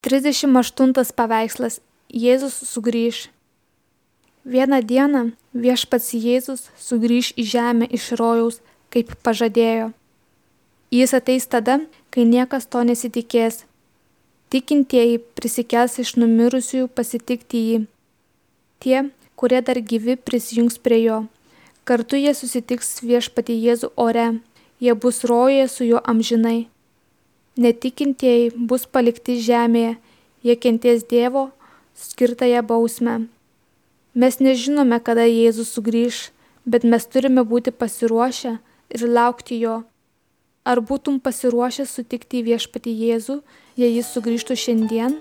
38 paveikslas. Jėzus sugrįš. Vieną dieną viešpats Jėzus sugrįš į žemę iš rojaus, kaip pažadėjo. Jis ateis tada, kai niekas to nesitikės. Tikintieji prisikels iš numirusiųjų pasitikti jį. Tie, kurie dar gyvi, prisijungs prie jo. Kartu jie susitiks viešpatį Jėzų ore. Jie bus rojuje su juo amžinai. Netikintieji bus palikti žemėje. Jie kentės Dievo skirtąją bausmę. Mes nežinome, kada Jėzus sugrįš, bet mes turime būti pasiruošę ir laukti jo. Ar būtum pasiruošęs sutikti viešpatį Jėzų, jei jis sugrįžtų šiandien?